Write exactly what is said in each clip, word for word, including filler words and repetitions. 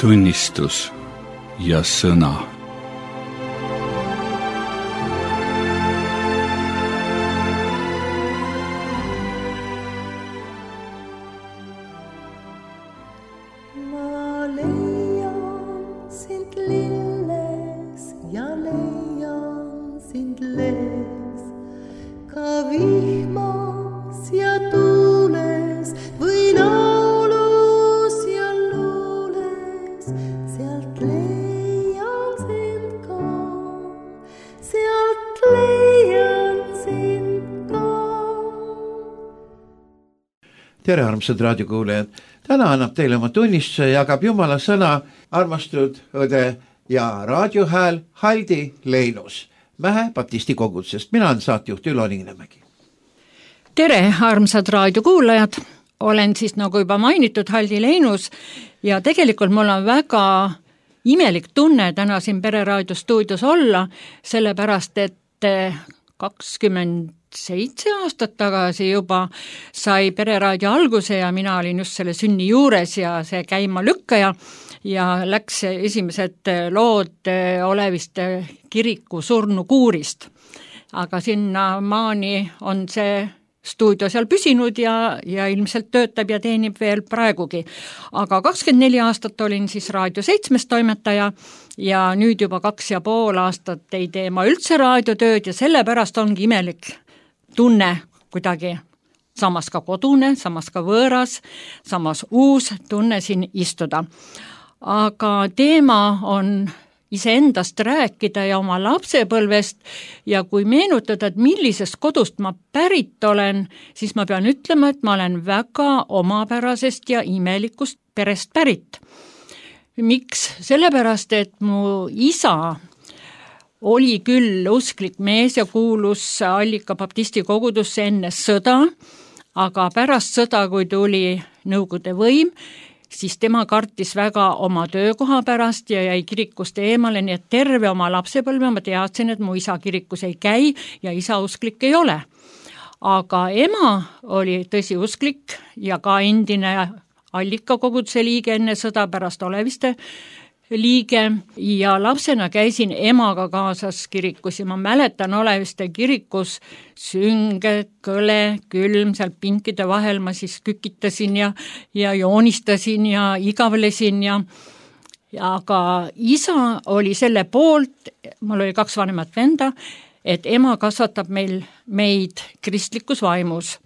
tunnistus ja sõna. Tere, armsad raadiokuulajad! Täna annab teile oma tunnistuse ja jagab Jumala sõna armastud õde ja raadiohääl Haldi Leinus Mähe baptisti kogudusest. Mina olen saatejuht Ülo Niinemägi. Tere, armsad raadiokuulajad! Olen siis nagu juba mainitud Haldi Leinus ja tegelikult mul on väga imelik tunne täna siin Pereraadio stuudios olla, sellepärast et kakskümmend seitse aastat tagasi juba sai Pereraadio alguse ja mina olin just selle sünni juures ja see käima lükkaja ja läks esimesed lood Oleviste kiriku surnukuurist. Aga sinna maani on see stuudio seal püsinud ja, ja ilmselt töötab ja teenib veel praegugi. Aga kakskümmend neli aastat olin siis Raadio seitsmes toimetaja ja nüüd juba kaks ja pool aastat ei tee ma üldse raadiotööd ja sellepärast ongi imelik tunne kuidagi samas ka kodune, samas ka võõras, samas uus tunne siin istuda. Aga teema on iseendast rääkida ja oma lapsepõlvest ja kui meenutada, et millisest kodust ma pärit olen, siis ma pean ütlema, et ma olen väga omapärasest ja imelikust perest pärit. Miks? Sellepärast, et mu isa oli küll usklik mees ja kuulus Allika baptisti kogudusse enne sõda, aga pärast sõda, kui tuli Nõukogude võim, siis tema kartis väga oma töökoha pärast ja jäi kirikust eemale, nii et terve oma lapsepõlve ma teadsin, et mu isa kirikus ei käi ja isa usklik ei ole. Aga ema oli tõsi usklik ja ka endine Allika koguduse liige enne sõda pärast Oleviste liige ja lapsena käisin emaga kaasas kirikus ja ma mäletan Oleviste kirikus sünge, kõle, külm, seal pinkide vahel ma siis kükitasin ja, ja joonistasin ja igavlesin ja, ja aga isa oli selle poolt, mul oli kaks vanemat venda, et ema kasvatab meil meid kristlikus vaimus.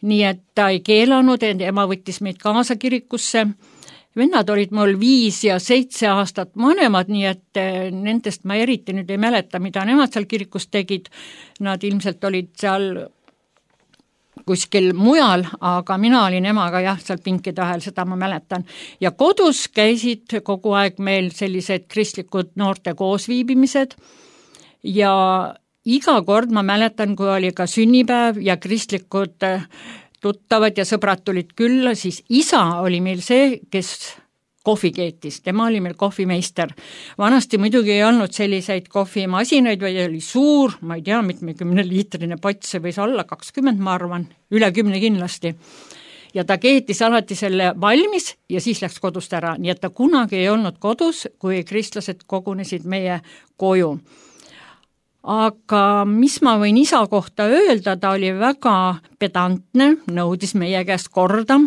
Nii et ta ei keelanud, et ema võttis meid kaasa kirikusse. Vennad olid mul viis ja seitse aastat vanemad, nii et nendest ma eriti nüüd ei mäleta, mida nemad seal kirikus tegid. Nad ilmselt olid seal kuskil mujal, aga mina olin emaga jah, seal pinkide vahel, seda ma mäletan. Ja kodus käisid kogu aeg meil sellised kristlikud noorte koosviibimised ja iga kord ma mäletan, kui oli ka sünnipäev ja kristlikud tuttavad ja sõbrad tulid külla, siis isa oli meil see, kes kohvi keetis. Tema oli meil kohvimeister. Vanasti muidugi ei olnud selliseid kohvimasinaid, vaid oli suur, ma ei tea, mitmekümne liitrine pott, see võis olla kakskümmend, ma arvan, üle kümne kindlasti. Ja ta keetis alati selle valmis ja siis läks kodust ära. Nii et ta kunagi ei olnud kodus, kui kristlased kogunesid meie koju. Aga mis ma võin isa kohta öelda, ta oli väga pedantne, nõudis meie käest korda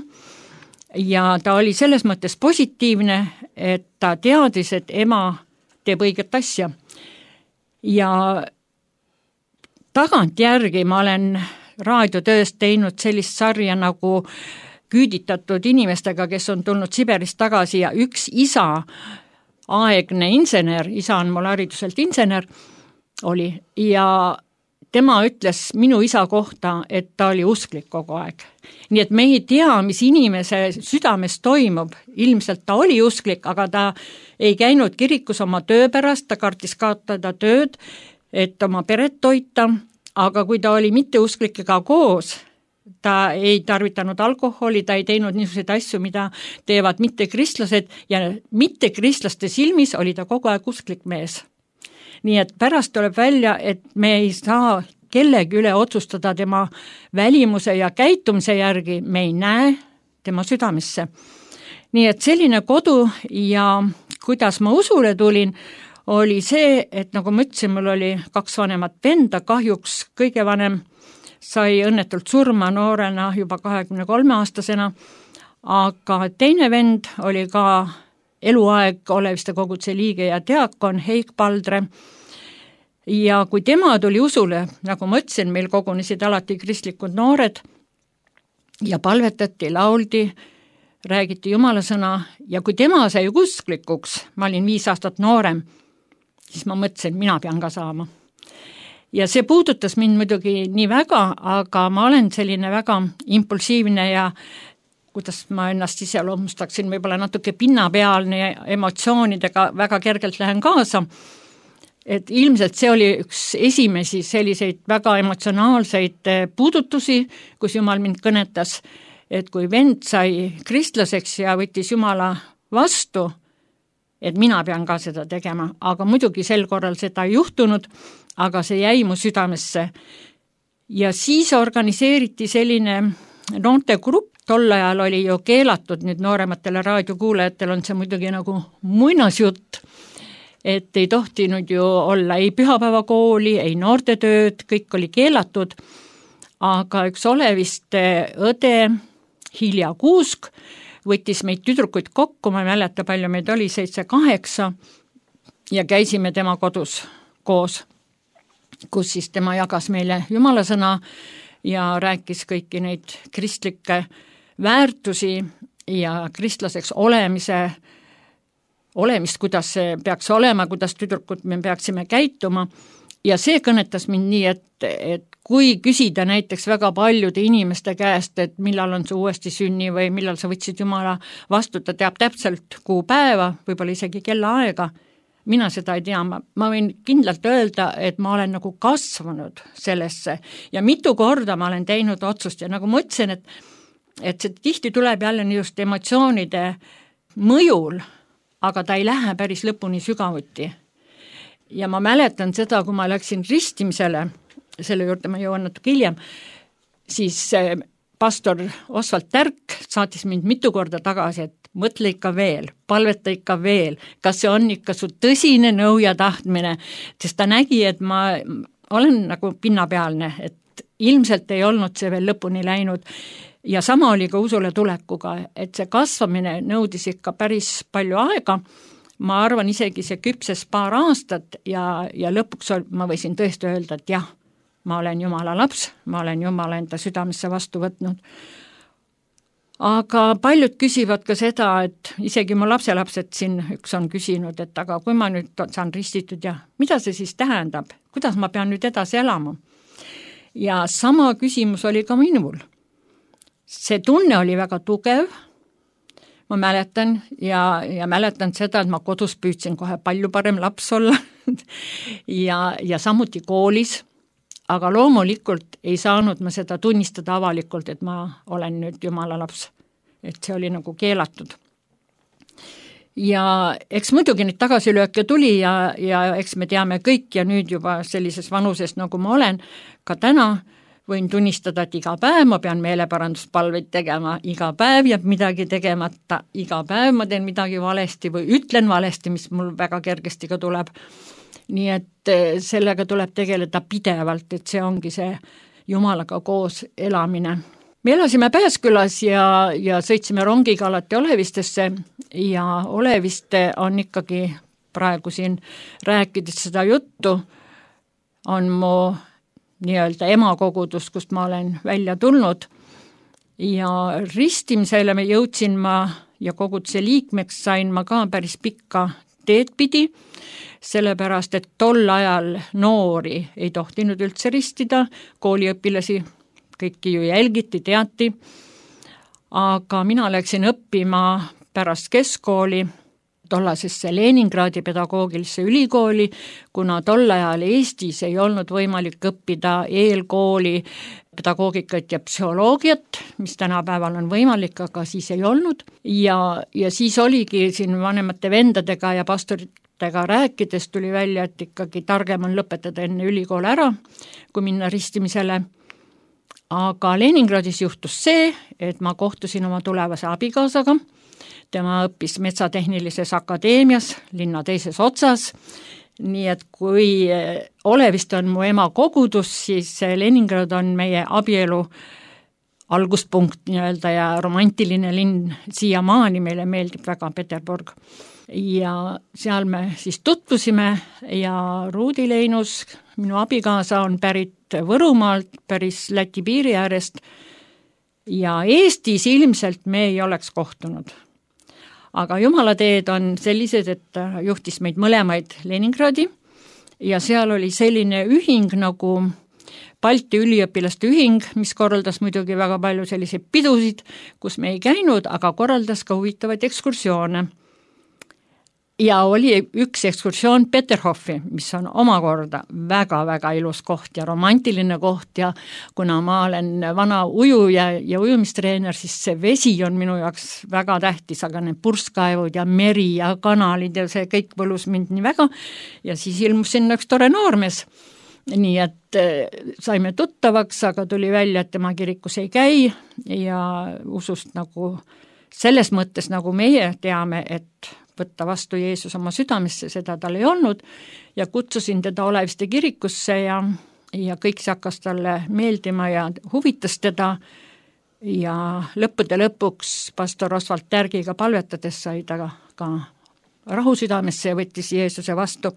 ja ta oli selles mõttes positiivne, et ta teadis, et ema teeb õiget asja. Ja tagantjärgi ma olen raadiotööst teinud sellist sarja nagu küüditatud inimestega, kes on tulnud Siberist tagasi ja üks isa, aegne insener, isa on mul hariduselt insener, oli ja tema ütles minu isa kohta, et ta oli usklik kogu aeg. Nii et me ei tea, mis inimese südames toimub. Ilmselt ta oli usklik, aga ta ei käinud kirikus oma töö pärast, ta kartis kaotada tööd, et oma peret toita, aga kui ta oli mitte usklikega koos, ta ei tarvitanud alkoholi, ta ei teinud niisuguseid asju, mida teevad mittekristlased ja mittekristlaste silmis oli ta kogu aeg usklik mees. Nii et pärast tuleb välja, et me ei saa kellegi üle otsustada tema välimuse ja käitumise järgi, me ei näe tema südamesse. nii et selline kodu ja kuidas ma usule tulin, oli see, et nagu ma ütlesin, mul oli kaks vanemat venda, kahjuks kõige vanem sai õnnetult surma noorena juba kahekümne kolme aastasena, aga teine vend oli ka eluaeg Oleviste koguduse liige ja diakon Heik Paldre. Ja kui tema tuli usule, nagu ma ütlesin, meil kogunesid alati kristlikud noored ja palvetati, lauldi, räägiti jumalasõna ja kui tema sai usklikuks, ma olin viis aastat noorem, siis ma mõtlesin, mina pean ka saama. Ja see puudutas mind muidugi nii väga, aga ma olen selline väga impulsiivne ja kuidas ma ennast iseloomustaksin, võib-olla natuke pinnapealne ja emotsioonidega väga kergelt lähen kaasa. Et ilmselt see oli üks esimesi selliseid väga emotsionaalseid puudutusi, kus Jumal mind kõnetas, et kui vend sai kristlaseks ja võttis Jumala vastu, et mina pean ka seda tegema, aga muidugi sel korral seda ei juhtunud, aga see jäi mu südamesse. Ja siis organiseeriti selline noortegrupp, tol ajal oli ju keelatud, nüüd noorematele raadiokuulajatel on see muidugi nagu muinasjutt, et ei tohtinud ju olla ei pühapäevakooli, ei noortetööd, kõik oli keelatud, aga üks Oleviste õde Hilja Kuusk võttis meid tüdrukuid kokku, ma ei mäleta palju meid oli, seitse kaheksa ja käisime tema kodus koos, kus siis tema jagas meile jumalasõna ja rääkis kõiki neid kristlikke väärtusi ja kristlaseks olemise, olemist, kuidas see peaks olema, kuidas tüdrukud me peaksime käituma ja see kõnetas mind nii, et, et kui küsida näiteks väga paljude inimeste käest, et millal on see uuesti sünni või millal sa võtsid Jumala vastu, ta teab täpselt kuupäeva, võib-olla isegi kellaaega, mina seda ei tea, ma, ma võin kindlalt öelda, et ma olen nagu kasvanud sellesse ja mitu korda ma olen teinud otsust ja nagu ma ütlesin, et, et see tihti tuleb jälle just emotsioonide mõjul, aga ta ei lähe päris lõpuni sügavuti. Ja ma mäletan seda, kui ma läksin ristimisele, selle juurde ma jõuan natuke hiljem, siis pastor Osvald Tärk saatis mind mitu korda tagasi, et mõtle ikka veel, palveta ikka veel, kas see on ikka su tõsine nõu ja tahtmine, sest ta nägi, et ma olen nagu pinnapealne, et ilmselt ei olnud see veel lõpuni läinud ja sama oli ka usule tulekuga, et see kasvamine nõudis ikka päris palju aega, ma arvan isegi see küpses paar aastat ja, ja lõpuks ma võisin tõesti öelda, et jah, ma olen Jumala laps, ma olen Jumala enda südamesse vastu võtnud. Aga paljud küsivad ka seda, et isegi mu lapselapsed siin üks on küsinud, et aga kui ma nüüd saan ristitud ja mida see siis tähendab, kuidas ma pean nüüd edasi elama? Ja sama küsimus oli ka minul. See tunne oli väga tugev, ma mäletan ja, ja mäletan seda, et ma kodus püüdsin kohe palju parem laps olla ja, ja samuti koolis, aga loomulikult ei saanud ma seda tunnistada avalikult, et ma olen nüüd Jumala laps, et see oli nagu keelatud. Ja eks muidugi neid tagasilööke tuli ja, ja eks me teame kõik ja nüüd juba sellises vanuses, nagu ma olen, ka täna võin tunnistada, et iga päev ma pean meeleparanduspalveid tegema, iga päev jääb midagi tegemata, iga päev ma teen midagi valesti või ütlen valesti, mis mul väga kergesti ka tuleb. Nii et sellega tuleb tegeleda pidevalt, et see ongi see Jumalaga koos elamine. Me elasime Pääskülas ja, ja sõitsime rongiga alati Olevistesse ja Oleviste on ikkagi praegu siin rääkides seda juttu, on mu nii-öelda emakogudus, kust ma olen välja tulnud ja ristimisele me jõudsin ma ja koguduse liikmeks sain ma ka päris pikka teed pidi, sellepärast, et tol ajal noori ei tohtinud üldse ristida, kooliõpilasi kõiki ju jälgiti, teati, aga mina läksin õppima pärast keskkooli tollasesse Leningradi pedagoogilisse ülikooli, kuna tol ajal Eestis ei olnud võimalik õppida eelkooli pedagoogikat ja psühholoogiat, mis tänapäeval on võimalik, aga siis ei olnud. Ja, ja siis oligi siin vanemate vendadega ja pastoritega rääkides tuli välja, et ikkagi targem on lõpetada enne ülikool ära, kui minna ristimisele. Aga Leningradis juhtus see, et ma kohtusin oma tulevase abikaasaga tema õppis Metsatehnilises Akadeemias linna teises otsas, nii et kui Oleviste on mu ema kogudus, siis Leningrad on meie abielu alguspunkt nii-öelda ja romantiline linn siiamaani, meile meeldib väga Peterburg. Ja seal me siis tutvusime ja Ruudi Leinus, minu abikaasa, on pärit Võrumaalt, päris Läti piiri äärest ja Eestis ilmselt me ei oleks kohtunud. Aga jumalateed on sellised, et juhtis meid mõlemaid Leningradi ja seal oli selline ühing nagu Balti üliõpilaste ühing, mis korraldas muidugi väga palju selliseid pidusid, kus me ei käinud, aga korraldas ka huvitavaid ekskursioone. Ja oli üks ekskursioon Peterhofi, mis on omakorda väga-väga ilus koht ja romantiline koht ja kuna ma olen vana ujuja ja ujumistreener, siis see vesi on minu jaoks väga tähtis, aga need purskkaevud ja meri ja kanalid ja see kõik võlus mind nii väga ja siis ilmus sinna üks tore noormees. Nii et saime tuttavaks, aga tuli välja, et tema kirikus ei käi ja usust nagu selles mõttes, nagu meie teame, et võtta vastu Jeesus oma südamesse, seda tal ei olnud ja kutsusin teda Oleviste kirikusse ja, ja kõik see hakkas talle meeldima ja huvitas teda ja lõppude lõpuks pastor Oswald Tärgiga palvetades sai ta ka rahu südamesse ja võttis Jeesuse vastu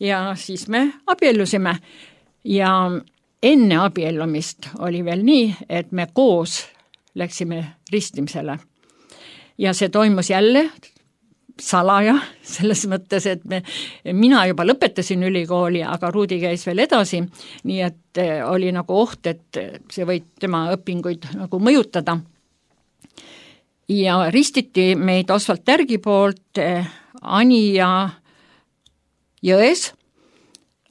ja siis me abiellusime ja enne abiellumist oli veel nii, et me koos läksime ristimisele ja see toimus jälle salaja, selles mõttes, et me, mina juba lõpetasin ülikooli, aga Ruudi käis veel edasi, nii et oli nagu oht, et see võib tema õpinguid nagu mõjutada. Ja ristiti meid Oswald Tärgi poolt Ani ja Jões,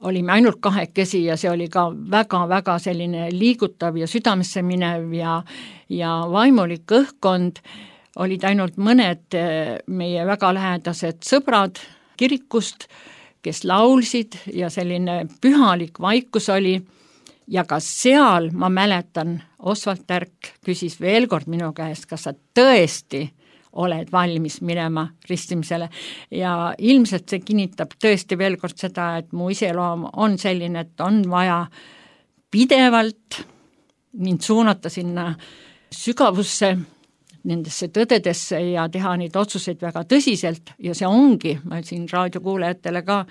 olime ainult kahekesi ja see oli ka väga-väga selline liigutav ja südamesse minev ja, ja vaimulik õhkkond. Olid ainult mõned meie väga lähedased sõbrad kirikust, kes laulsid ja selline pühalik vaikus oli ja ka seal ma mäletan, Oswald Tärk küsis veel kord minu käest, kas sa tõesti oled valmis minema ristimisele ja ilmselt see kinnitab tõesti veel kord seda, et mu iseloom on selline, et on vaja pidevalt mind suunata sinna sügavusse, nendesse tõdedesse ja teha neid otsuseid väga tõsiselt ja see ongi, ma siin raadiokuulajatele ka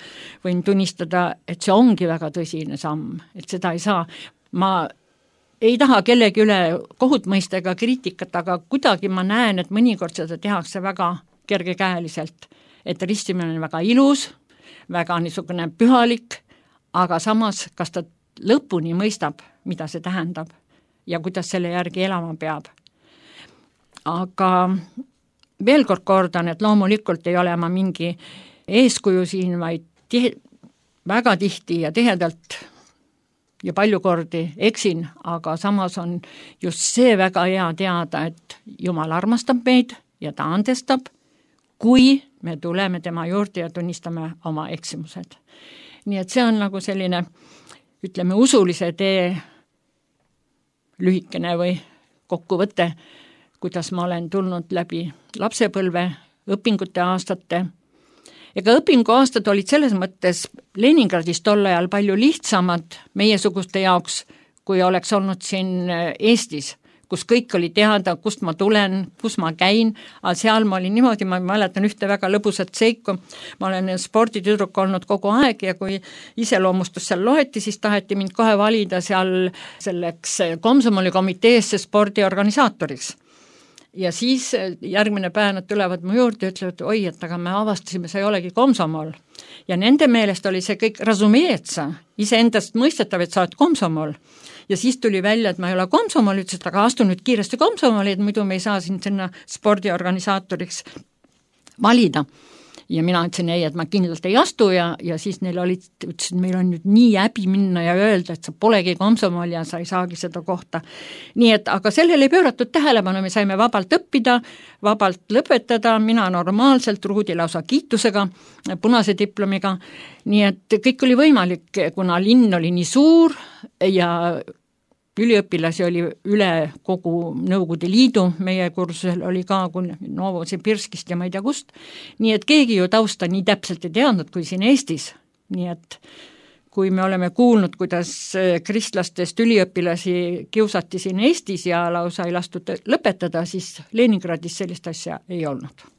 võin tunnistada, et see ongi väga tõsine samm, et seda ei saa. Ma ei taha kellegi üle kohut mõista ega kriitikat, aga kuidagi ma näen, et mõnikord seda tehakse väga kergekäeliselt, et ristimine on väga ilus, väga niisugune pühalik, aga samas, kas ta lõpuni mõistab, mida see tähendab ja kuidas selle järgi elama peab. Aga veel kord kordan, et loomulikult ei ole ma mingi eeskuju siin, vaid tihe, väga tihti ja tihedalt ja palju kordi eksin, aga samas on just see väga hea teada, et Jumal armastab meid ja ta andestab, kui me tuleme tema juurde ja tunnistame oma eksimused. Nii et see on nagu selline, ütleme, usulise tee lühikene või kokkuvõte, kuidas ma olen tulnud läbi lapsepõlve, õpingute aastate. Ega õpingu aastad olid selles mõttes Leningradis tol ajal palju lihtsamad meiesuguste jaoks, kui oleks olnud siin Eestis, kus kõik oli teada, kust ma tulen, kus ma käin, aga seal ma olin niimoodi, ma mäletan ühte väga lõbusat seiku, ma olen sporditüdruk olnud kogu aeg ja kui iseloomustus seal loeti, siis taheti mind kohe valida seal selleks komsomoli komiteesse spordiorganisaatoriks. Ja siis järgmine päev nad tulevad mu juurde ja ütlevad, oi, et aga me avastasime, see ei olegi komsomol. Ja nende meelest oli see kõik razumeetsa, iseendast mõistetav, et sa oled komsomol. Ja siis tuli välja, et ma ei ole komsomol, ütles, et aga astu nüüd kiiresti komsomoli, et muidu me ei saa siin sinna spordiorganisaatoriks valida. Ja mina ütlesin ei, et ma kindlalt ei astu ja, ja siis neil olid, ütlesin, meil on nüüd nii häbi minna ja öelda, et sa polegi komsomol ja sa ei saagi seda kohta. Nii et, aga sellele ei pööratud tähelepanu, me saime vabalt õppida, vabalt lõpetada, mina normaalselt, Ruudi lausa kiitusega, punase diplomiga, nii et kõik oli võimalik, kuna linn oli nii suur ja üliõpilasi oli üle kogu Nõukogude Liidu, meie kursusel oli ka Novosibirskist ja ma ei tea kust, nii et keegi ju tausta nii täpselt ei teadnud kui siin Eestis, nii et kui me oleme kuulnud, kuidas kristlastest üliõpilasi kiusati siin Eestis ja lausa ei lastud lõpetada, siis Leningradis sellist asja ei olnud.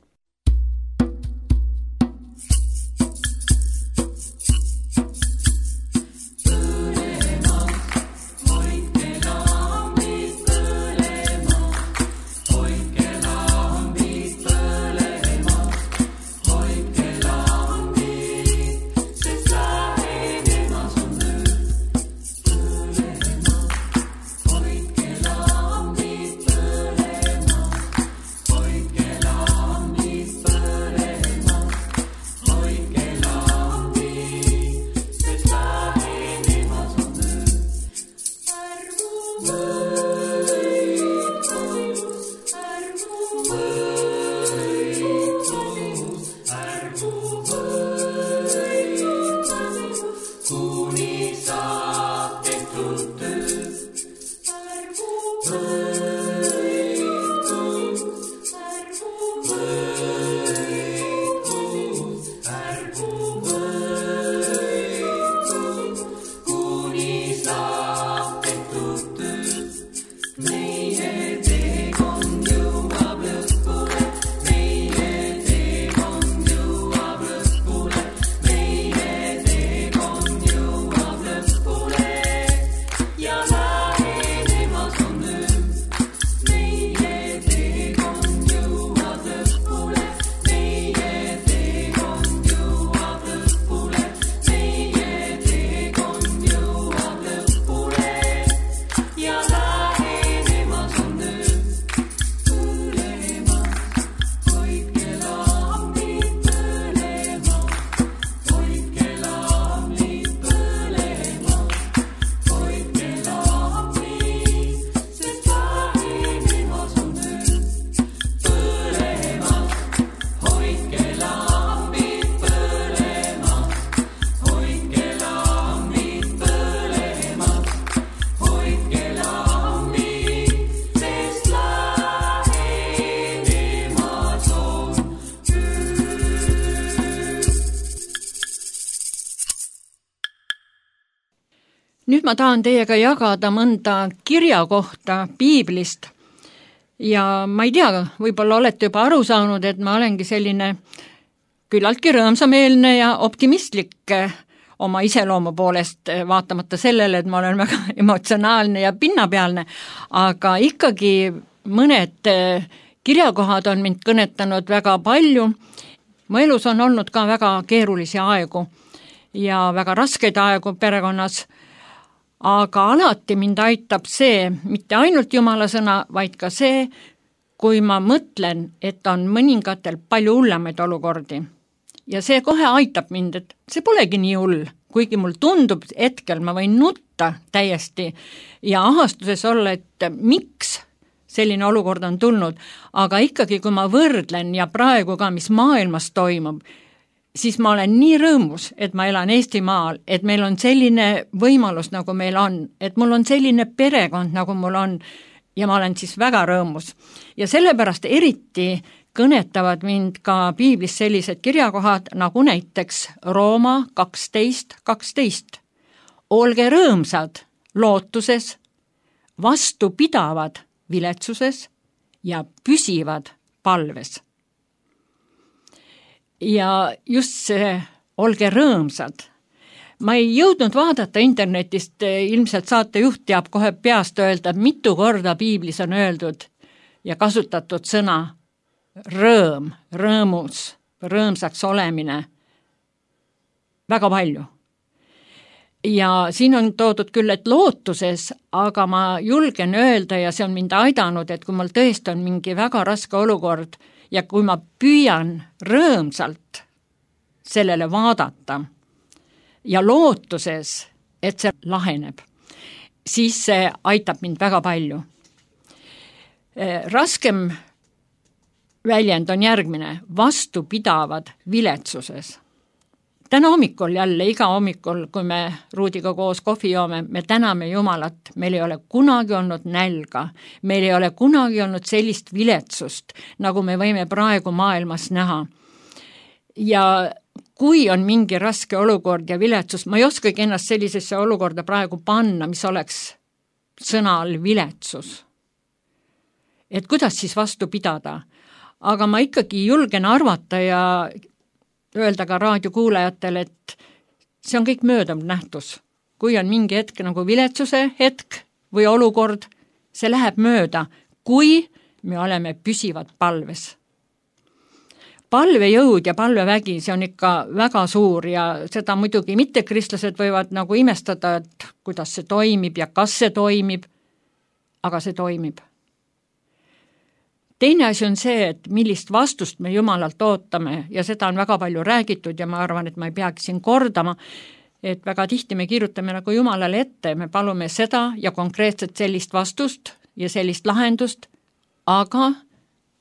Nüüd ma tahan teiega jagada mõnda kirja kohta piiblist ja ma ei tea, võib-olla olete juba aru saanud, et ma olengi selline küllaltki rõõmsameelne ja optimistlik oma iseloomu poolest, vaatamata sellele, et ma olen väga emotsionaalne ja pinnapealne, aga ikkagi mõned kirjakohad on mind kõnetanud väga palju. Mu elus on olnud ka väga keerulisi aegu ja väga raskeid aegu perekonnas, aga alati mind aitab see, mitte ainult Jumala sõna, vaid ka see, kui ma mõtlen, et on mõningatel palju hullemaid olukordi. Ja see kohe aitab mind, et see polegi nii hull, kuigi mul tundub hetkel, ma võin nutta täiesti ja ahastuses olla, et miks selline olukord on tulnud, aga ikkagi, kui ma võrdlen ja praegu ka, mis maailmas toimub, siis ma olen nii rõõmus, et ma elan Eestimaal, et meil on selline võimalus, nagu meil on, et mul on selline perekond, nagu mul on, ja ma olen siis väga rõõmus. Ja sellepärast eriti kõnetavad mind ka piiblis sellised kirjakohad, nagu näiteks Rooma kaksteist kaksteist. Olge rõõmsad lootuses, vastupidavad viletsuses ja püsivad palves. Ja just see, olge rõõmsad. Ma ei jõudnud vaadata internetist, ilmselt saatejuht teab kohe peast öelda, mitu korda piiblis on öeldud ja kasutatud sõna rõõm, rõõmus, rõõmsaks olemine. Väga palju. Ja siin on toodud küll, et lootuses, aga ma julgen öelda ja see on mind aidanud, et kui mul tõesti on mingi väga raske olukord, ja kui ma püüan rõõmsalt sellele vaadata ja lootuses, et see laheneb, siis see aitab mind väga palju. Raskem väljend on järgmine, vastupidavad viletsuses. täna hommikul jälle, iga hommikul, kui me Ruudiga koos kohvi joome, me täname Jumalat, meil ei ole kunagi olnud nälga, meil ei ole kunagi olnud sellist viletsust, nagu me võime praegu maailmas näha. Ja kui on mingi raske olukord ja viletsus, ma ei oskagi ennast sellisesse olukorda praegu panna, mis oleks sõna all viletsus. Et kuidas siis vastu pidada? Aga ma ikkagi julgen arvata ja öelda ka raadiokuulajatele, et see on kõik möödav nähtus. Kui on mingi hetk nagu viletsuse hetk või olukord, see läheb mööda, kui me oleme püsivad palves. Palvejõud ja palvevägi, see on ikka väga suur ja seda muidugi mittekristlased võivad nagu imestada, et kuidas see toimib ja kas see toimib, aga see toimib. Teine asi on see, et millist vastust me Jumalalt ootame ja seda on väga palju räägitud ja ma arvan, et ma ei peagi siin kordama, et väga tihti me kirjutame nagu Jumalale ette, me palume seda ja konkreetselt sellist vastust ja sellist lahendust, aga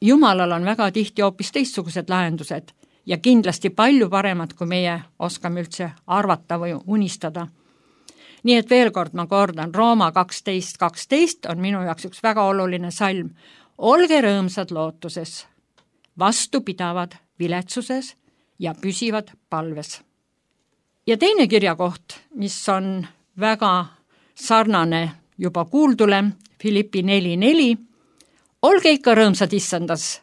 Jumalal on väga tihti hoopis teistsugused lahendused ja kindlasti palju paremad, kui meie oskame üldse arvata või unistada. Nii et veel kord ma kordan, Rooma kaksteist kaksteist on minu jaoks üks väga oluline salm. Olge rõõmsad lootuses, vastupidavad viletsuses ja püsivad palves. Ja teine kirjakoht, mis on väga sarnane juba kuuldule, Filippi neli neli, olge ikka rõõmsad issandas,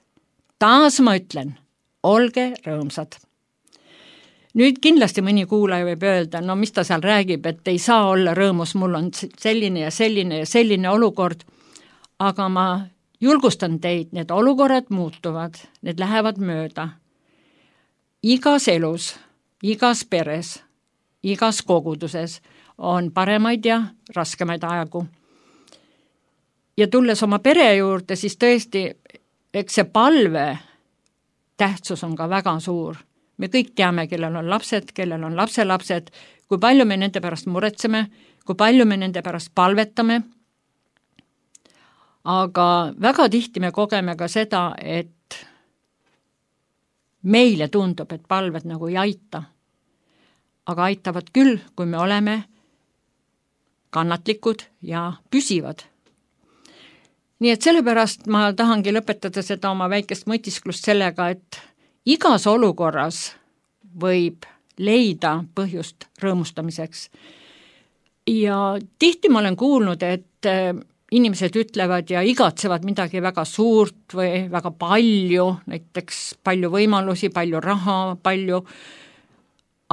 taas ma ütlen, olge rõõmsad. Nüüd kindlasti mõni kuulaja võib öelda, no mis ta seal räägib, et ei saa olla rõõmus, mul on selline ja selline ja selline olukord, aga ma julgustan teid, need olukorrad muutuvad, need lähevad mööda. Igas elus, igas peres, igas koguduses on paremaid ja raskemaid aegu. Ja tulles oma pere juurde, siis tõesti, eks see palve tähtsus on ka väga suur. Me kõik teame, kellel on lapsed, kellel on lapselapsed, kui palju me nende pärast muretseme, kui palju me nende pärast palvetame. Aga väga tihti me kogeme ka seda, et meile tundub, et palved nagu ei aita. Aga aitavad küll, kui me oleme kannatlikud ja püsivad. Nii et sellepärast ma tahangi lõpetada seda oma väikest mõtisklust sellega, et igas olukorras võib leida põhjust rõõmustamiseks. Ja tihti ma olen kuulnud, et inimesed ütlevad ja igatsevad midagi väga suurt või väga palju, näiteks palju võimalusi, palju raha, palju,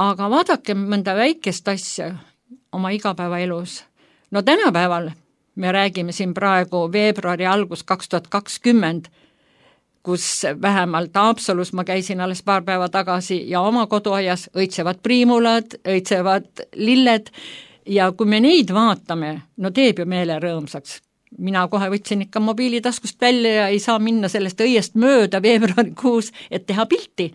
aga vaadake mõnda väikest asja oma igapäevaelus. No tänapäeval me räägime siin praegu veebruari algus kaks tuhat kakskümmend, kus vähemalt Haapsalus ma käisin alles paar päeva tagasi ja oma koduaias õitsevad priimulad, õitsevad lilled ja kui me neid vaatame, no teeb ju meele rõõmsaks. Mina kohe võtsin ikka mobiilitaskust välja ja ei saa minna sellest õiest mööda veebruarikuus, et teha pilti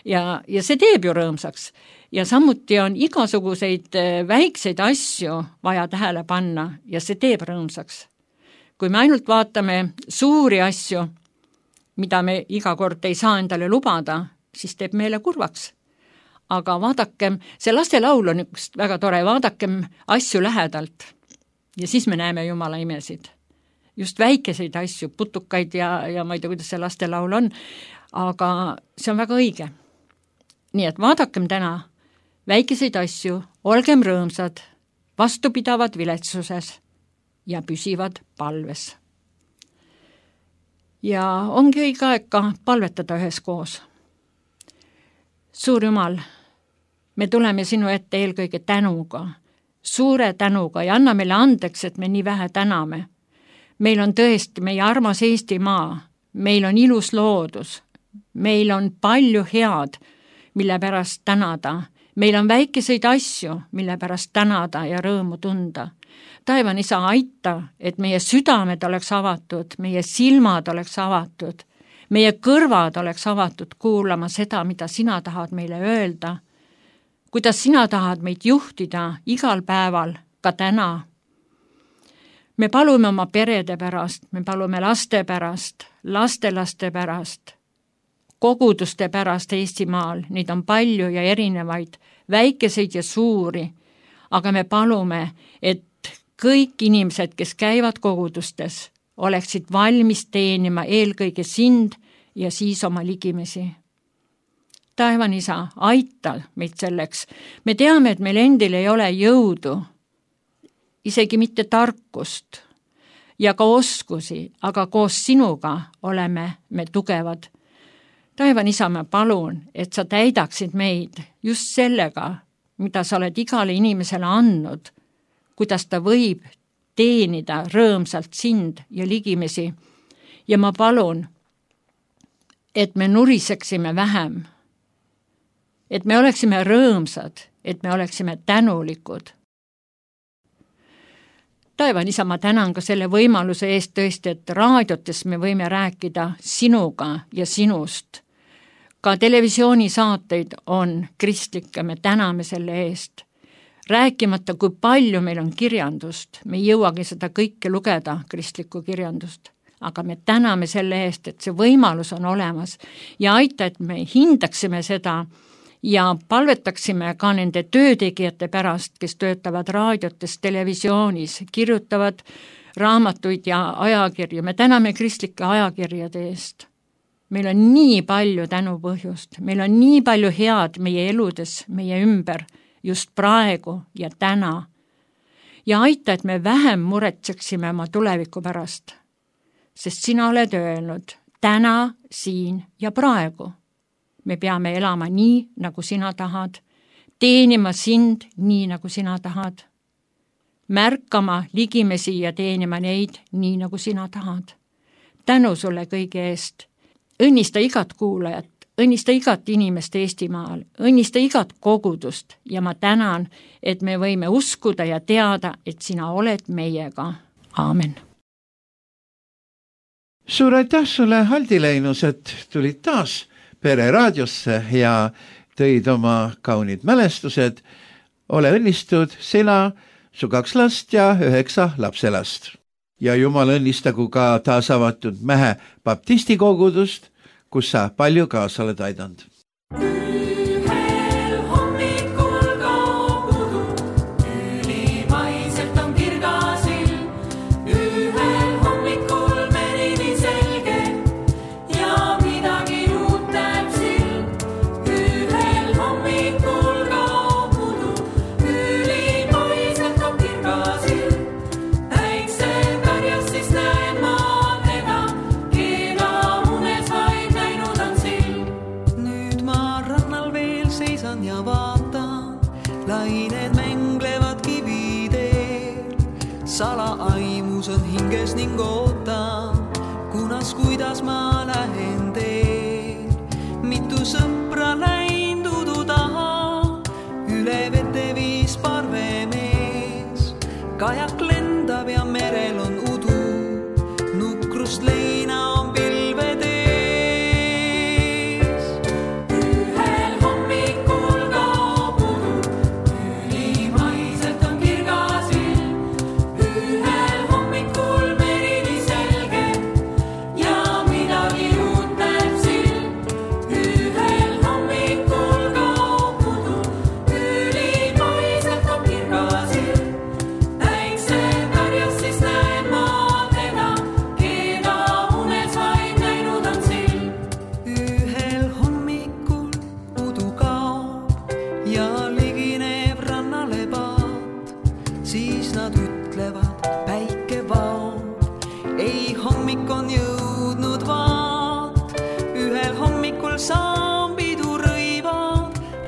ja, ja see teeb ju rõõmsaks. Ja samuti on igasuguseid väikseid asju vaja tähele panna ja see teeb rõõmsaks. Kui me ainult vaatame suuri asju, mida me iga kord ei saa endale lubada, siis teeb meile kurvaks. Aga vaadakem, see lastelaul on üks väga tore, vaadakem asju lähedalt ja siis me näeme Jumala imesid. Just väikeseid asju, putukaid ja, ja ma ei tea, kuidas see lastelaul on, aga see on väga õige. Nii et vaadakem täna väikeseid asju, olgem rõõmsad, vastupidavad viletsuses ja püsivad palves. Ja ongi õige aeg ka palvetada üheskoos. Suur Jumal, me tuleme sinu ette eelkõige tänuga, suure tänuga ja anna meile andeks, et me nii vähe täname. Meil on tõesti meie armas Eestimaa, meil on ilus loodus, meil on palju head, mille pärast tänada. Meil on väikeseid asju, mille pärast tänada ja rõõmu tunda. Taevan isa, aita, et meie südamed oleks avatud, meie silmad oleks avatud, meie kõrvad oleks avatud kuulama seda, mida sina tahad meile öelda, kuidas sina tahad meid juhtida igal päeval, ka täna. Me palume oma perede pärast, me palume laste pärast, lastelaste pärast, koguduste pärast Eestimaal, neid on palju ja erinevaid, väikeseid ja suuri, aga me palume, et kõik inimesed, kes käivad kogudustes, oleksid valmis teenima eelkõige sind ja siis oma ligimesi. Taevan isa, aita meid selleks. Me teame, et meil endil ei ole jõudu, isegi mitte tarkust ja ka oskusi, aga koos sinuga oleme me tugevad. Taevan isa, ma palun, et sa täidaksid meid just sellega, mida sa oled igale inimesele andnud, kuidas ta võib teenida rõõmsalt sind ja ligimesi. Ja ma palun, et me nuriseksime vähem, et me oleksime rõõmsad, et me oleksime tänulikud. Taevan isa, ma tänan ka selle võimaluse eest tõesti, et raadiotes me võime rääkida sinuga ja sinust. Ka televisioonisaateid on kristlikke, me täname selle eest. Rääkimata, kui palju meil on kirjandust, me ei jõuagi seda kõike lugeda, kristlikku kirjandust, aga me täname selle eest, et see võimalus on olemas ja aita, et me hindaksime seda ja palvetaksime ka nende töötegijate pärast, kes töötavad raadiotes, televisioonis, kirjutavad raamatuid ja ajakirju. Me täname kristlike ajakirjade eest. Meil on nii palju tänupõhjust, meil on nii palju head meie eludes, meie ümber, just praegu ja täna. Ja aita, et me vähem muretseksime oma tuleviku pärast, sest sina oled öelnud täna, siin ja praegu. Me peame elama nii, nagu sina tahad, teenima sind nii, nagu sina tahad, märkama ligimesi ja teenima neid nii, nagu sina tahad. Tänu sulle kõige eest. Õnnista igat kuulajat, õnnista igat inimest Eestimaal, õnnista igat kogudust ja ma tänan, et me võime uskuda ja teada, et sina oled meiega. Aamen. Suur aitäh sulle, Haldi Leinus, et tulid taas Pere raadiosse ja tõid oma kaunid mälestused. Ole õnnistud sina, su kaks last ja üheksa lapselast. Ja Jumal õnnistagu ka taas avatud Mähe baptistikogudust, kus sa palju kaasa oled aidanud. Lained mänglevad kivideel, salaaimus on hinges ning ootan, kunas kuidas ma lähen teel. Mitu sõpra läinud udu taha, üle vete viis parvemees. Kajak lendab ja merel on udu, nukrust leina on pilved ees.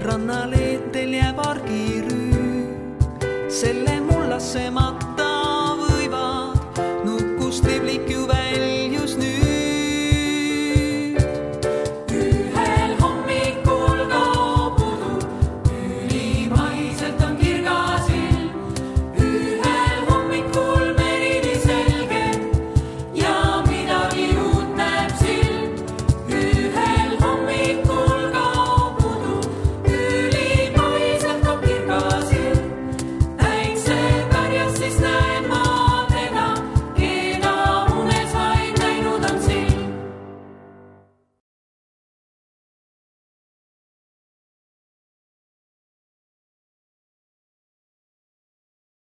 Rannaleetel jääb argirüü, selle mullasse mat